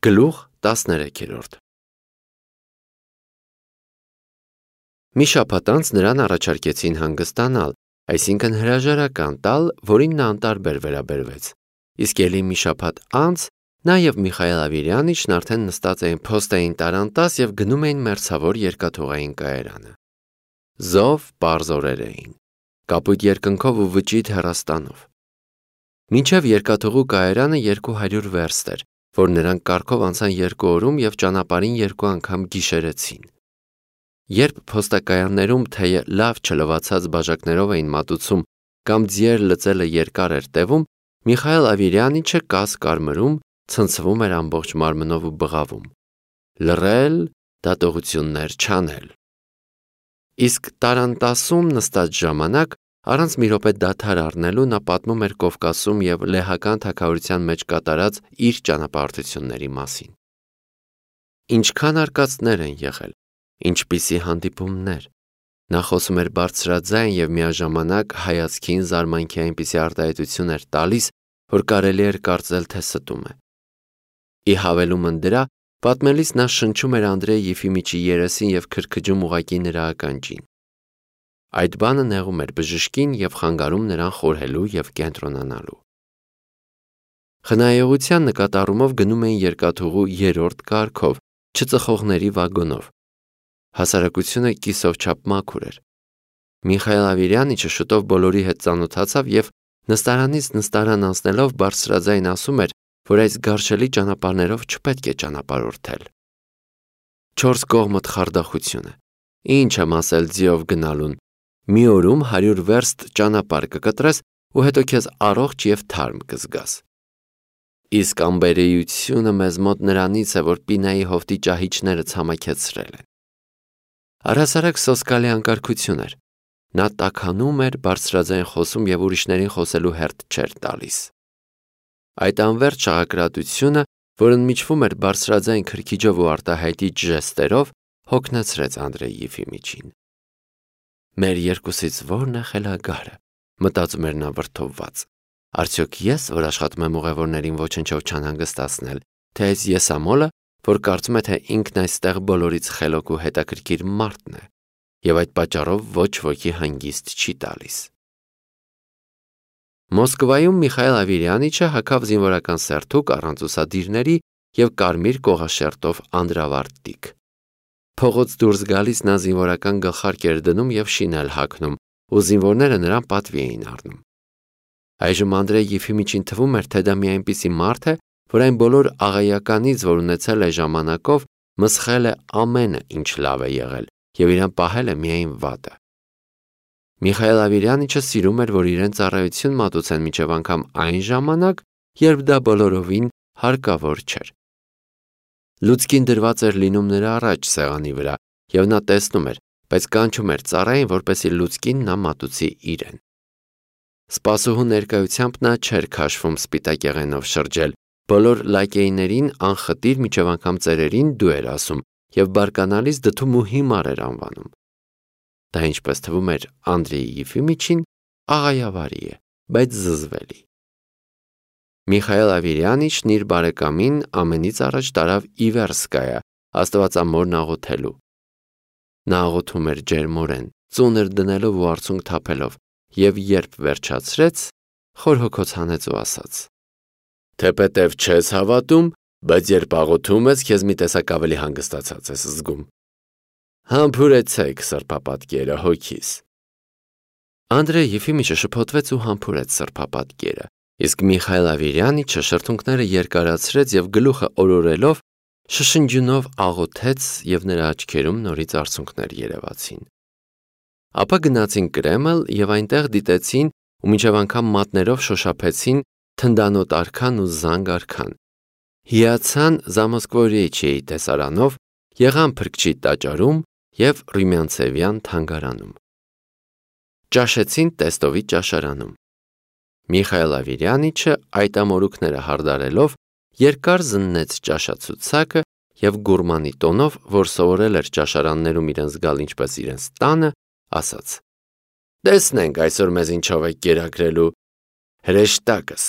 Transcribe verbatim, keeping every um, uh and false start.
Գլուխ տասներեքերորդ Մի շաբաթ անց նրան առաջարկեցին հանգստանալ, այսինքն հրաժարական տալ, որին նա անտարբեր վերաբերվեց։ Իսկ ելի մի շաբաթ անց նա և Միխայել Ավիրյանիչն արդեն նստած էին փոստային տարանտաս և գնում էին մերձավոր երկաթուղային կայարանը։ Զով պարզ օրեր էին, կապույտ երկնքով ու վճիտ հեռաստանով։ Մինչև երկաթուղու կայարանը երկու հարյուր վերստ էր, որ նրանք կառքով անցան երկու օրում և ճանապարհին երկու անգամ գիշերեցին։ Երբ փոստակայաններում թեյը լավ չլվացած բաժակներով էին մատուցում կամ ձիեր լծելը երկար էր տևում, Միխայել Ավիրյանիչը կաս կարմրում, ցնցվում էր ամբողջ մարմնով ու բղավում. լռել, դատողություններ չանել։ Իսկ տարանտասում նստած ժամանակ առանց մի րոպե դադար առնելու նա պատմում էր Կովկասում և լեհական թագավորության մեջ կատարած իր ճանապարհորդությունների մասին։ Ինչքան արկածներ են եղել, ինչպիսի հանդիպումներ։ Նա խոսում էր բարձրաձայն և միաժամանակ հայացքին զարմանքի այնպիսի արտահայտություն էր տալիս, որ կարելի էր կարծել, թե ստում է։ Ի հավելումն դրա, պատմելիս նա շնչում էր Անդրեյ Եֆիմիչի երեսին և քրքջում ուղղակի նրա ականջին։ Այդ բանը նեղում էր բժշկին և խանգարում նրան խորհելու և կենտրոնանալու։ Խնայողության նկատառումով գնում էին երկաթուղու երրորդ կարգով, չծխողների վագոնով։ Հասարակությունը կիսով չափ մաքուր էր։ Միխայել Ավիրյանիչը շուտով բոլորի հետ ծանոթացավ և նստարանից նստարան անցնելով բարձրաձայն ասում էր, որ այս գարշելի ճանապարհներով չպետք է ճանապարհորդել։ Չորս կողմդ խարդախություն է։ Ինչ եմ ասել ձիով գնալուն։ Մի օրում հարյուր վերստ ճանապարհ կկտրես ու հետո քեզ առողջ և թարմ կզգաս։ Իսկ անբերեությունը մեզ մոտ նրանից է, որ պինայի հովտի ճահիճները ցամաքեցրել են։ Առհասարակ սոսկալի անկարգություն էր։ Նա տաքանում էր, բարձրաձայն խոսում և ուրիշներին խոսելու հերթ չէր տալիս։ Այդ անվերջ շաղակրատությունը, որ ընդմիջվում էր բարձրաձայն քրքիջով ու արտահայտիչ ժեստերով, հոգնեցրեց Անդրեյ Եֆիմիչին։ Մեր երկուսից ո՞րն է խելագարը, մտածում էր նա վրդովված։ Արդյոք ես, որ աշխատում եմ ուղևորներին ոչնչով չանհանգստացնել, թե այս եսամոլը, որ կարծում է, թե ինքն այստեղ բոլորից խելոք ու հետաքրքիր մարդն է, և այդ պատճառով ոչ ոքի հանգիստ չի տալիս։ Մոսկվայում Միխայել Ավիրյանիչը հագավ զինվորական սերթուկ առանց ուսադիրների և կարմիր կողաշերտով անդրավարտիք։ Փողոց դուրս գալիս նա զինվորական գլխարկ էր դնում և շին էր հագնում, ու զինվորները նրան պատվի էին առնում։ Այժմ Անդրեյ Եֆիմիչին թվում էր, թե դա մի այնպիսի մարդ է, որ այն բոլոր աղայականից, որ ունեցել է ժամանակով, մսխել է ամենը, ինչ լավ է եղել, և իրան պահել է միայն վատը։ Միխայել Ավիրյանիչը սիրում էր, որ իրեն ծառայություն մատուցեն մինչև անգամ այն ժամանակ, երբ դա բոլորովին հարկավոր չէր։ Լուցկին դրված էր լինում նրա առաջ սեղանի վրա, և նա տեսնում էր, բայց կանչում էր ծառային, որպեսզի լուցկին նա մատուցի իրեն։ Սպասուհու ներկայությամբ նա չէր քաշվում սպիտակեղենով շրջել, բոլոր լակեյներին անխտիր մինչև անգամ ծերերին դու էր ասում և բարկանալիս դդում ու հիմար էր անվանում։ Դա, ինչպես թվում էր Անդրեյ Եֆիմիչին, աղայավարի է, բայց զզվելի։ Միխայել Ավիրյանիչն իր բարեկամին ամենից առաջ տարավ Իվերսկայա, Աստվածամորն աղոթելու։ Նա աղոթում էր ջերմորեն, ծունր դնելով ու արցունք թափելով, և երբ վերջացրեց, խոր հոգոց հանեց ու ասաց. Թեպետև չես հավատում, բայց երբ աղոթում ես, քեզ մի տեսակ ավելի հանգստացած ես զգում։ Համբուրեցեք սրբապատկերը հոգիս։ Անդրեյ Եֆիմիչը շփոթվեց ու համբուրեց սրբապատկերը, իսկ Միխայել Ավիրյանիչը շրթունքները երկարացրեց և գլուխը օրորելով շշնջյունով աղոթեց, և նրա աչքերում նորից արցունքներ երևացին։ Ապա գնացին Կրեմլ և այնտեղ դիտեցին ու մինչև անգամ մատներով շոշափեցին թնդանոտ արքան ու զանգ արքան, հիացան Զամոսկվոյեչիեի տեսարանով, եղան Փրկչի տաճարում և Ռումյանցևյան թանգարանում։ Ճաշեցին Տեստովի ճաշարանում։ Միխայել Ավիրյանիչը այդ ամորուքները հարդարելով երկար զննեց ճաշացուցակը և գուրմանի տոնով, որ սովորել էր ճաշարաններում իրեն զգալ ինչպես իրենց տանը, ասաց. Տեսնենք այսօր մեզ ինչով եք կերակրելու։ Հրեշտակս։